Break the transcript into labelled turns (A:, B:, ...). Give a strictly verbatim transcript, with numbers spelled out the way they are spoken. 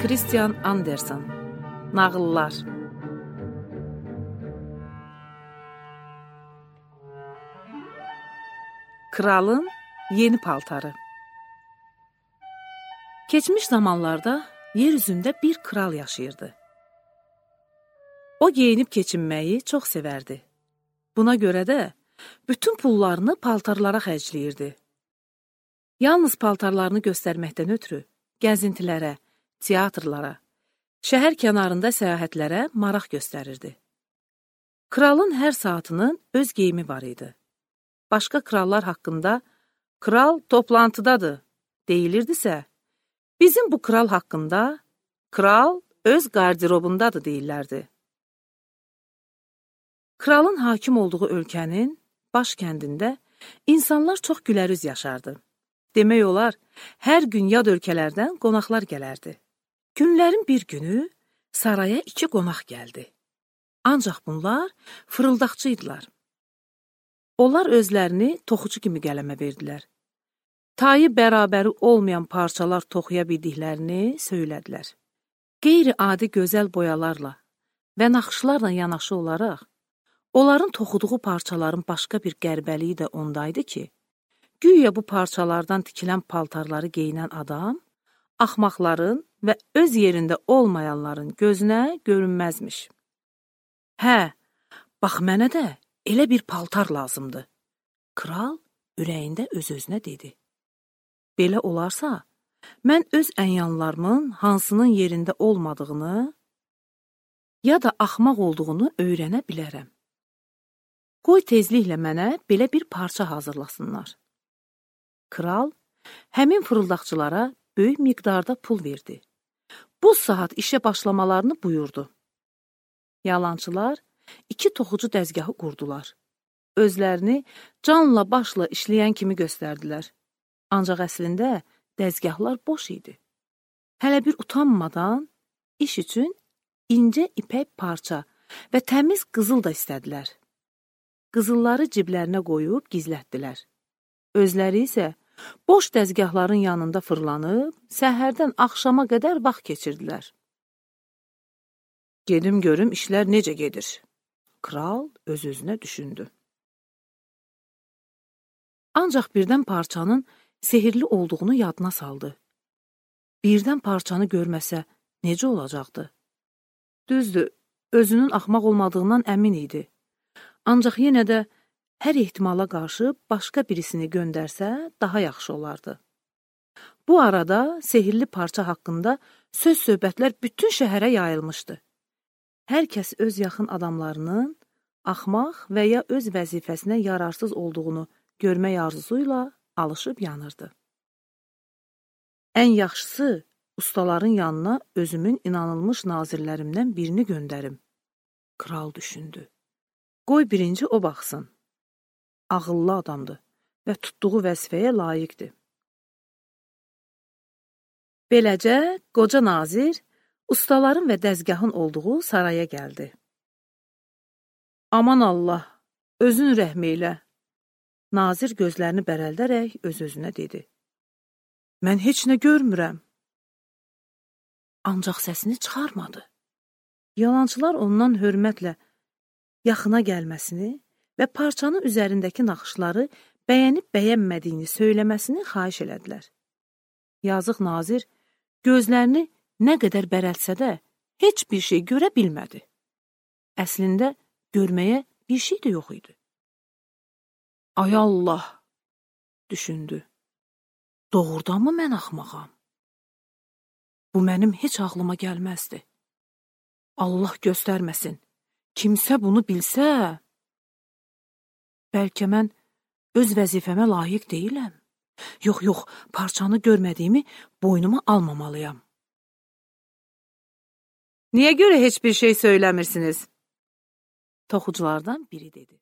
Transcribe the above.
A: Hans Christian Andersen. Nağıllar. Kralın yeni paltarı. Keçmiş zamanlarda yer üzündə bir kral yaşayırdı. O geyinib keçinməyi çox sevərdi. Buna görə də bütün pullarını paltarlara xərcləyirdi. Yalnız paltarlarını göstərməkdən ötürü gəzintilərə, teatrlara, şəhər kənarında səyahətlərə maraq göstərirdi. Kralın hər saatının öz geyimi var idi. Başqa krallar haqqında "Kral toplantıdadır" deyilirdisə, bizim bu kral haqqında "Kral öz qardirobundadır" deyirlərdi. Kralın hakim olduğu ölkənin baş kəndində insanlar çox gülərüz yaşardı. Demək olar, hər gün yad ölkələrdən qonaqlar gələrdi. Günlərin bir günü saraya iki qonaq gəldi. Ancaq bunlar fırıldaqçı idilər. Onlar özlərini toxucu kimi qələmə verdilər. Tayı bərabəri olmayan parçalar toxuya bildiklərini söylədilər. Qeyri-adi gözəl boyalarla və naxışlarla yanaşı olaraq, onların toxuduğu parçaların başqa bir qərbəliyi də ondaydı ki, güya bu parçalardan tikilən paltarları geyinən adam, axmaqların və öz yerində olmayanların gözünə görünməzmiş. Hə, bax mənə də elə bir paltar lazımdır. Kral ürəyində öz-özünə dedi. Belə olarsa, mən öz ənyanlarımın hansının yerində olmadığını ya da axmaq olduğunu öyrənə bilərəm. Qoy tezliklə mənə belə bir parça hazırlasınlar. Kral həmin fırıldaqçılara böyük miqdarda pul verdi. Bu saat işə başlamalarını buyurdu. Yalançılar iki toxucu dəzgahı qurdular. Özlərini canla başla işləyən kimi göstərdilər. Ancaq əslində dəzgahlar boş idi. Hələ bir utanmadan iş üçün incə ipək parça və təmiz qızıl da istədilər. Qızılları ciblərinə qoyub gizlətdilər. Özləri isə boş dəzgahların yanında fırlanıb, səhərdən axşama qədər vaxt keçirdilər. Gedim görüm işlər necə gedir. Kral öz-özünə düşündü. Ancaq birdən parçanın sehirli olduğunu yadına saldı. Birdən parçanı görməsə necə olacaqdı? Düzdür, özünün axmaq olmadığından əmin idi. Ancaq yenə də hər ehtimala qarşı başqa birisini göndərsə daha yaxşı olardı. Bu arada sehirli parça haqqında söz-söhbətlər bütün şəhərə yayılmışdı. Hər kəs öz yaxın adamlarının axmaq və ya öz vəzifəsinə yararsız olduğunu görmək arzusuyla alışıb yanırdı. Ən yaxşısı, ustaların yanına özümün inanılmış nazirlərimdən birini göndərim. Kral düşündü. Qoy birinci o baxsın. Ağıllı adamdır və tutduğu vəzifəyə layiqdir. Beləcə, qoca nazir ustaların və dəzgahın olduğu saraya gəldi. Aman Allah, özün rəhm eylə. Nazir gözlərini bərəldərək öz-özünə dedi. Mən heç nə görmürəm. Ancaq səsini çıxarmadı. Yalançılar ondan hörmətlə yaxına gəlməsini və parçanın üzərindəki naxışları bəyənib bəyənmədiyini söyləməsini xahiş elədilər. Yazıq nazir gözlərini nə qədər bərəltsə də heç bir şey görə bilmədi. Əslində görməyə bir şey də yox idi. Ay Allah, düşündü. Doğrudanmı mən axmağam? Bu mənim heç ağlıma gəlməzdi. Allah göstərməsin. Kimsə bunu bilsə, bəlkə mən öz vəzifəmə layiq deyiləm. Yox, yox, parçanı görmədiyimi boynuma almamalıyam. Niyə görə heç bir şey söyləmirsiniz? Toxuculardan biri dedi.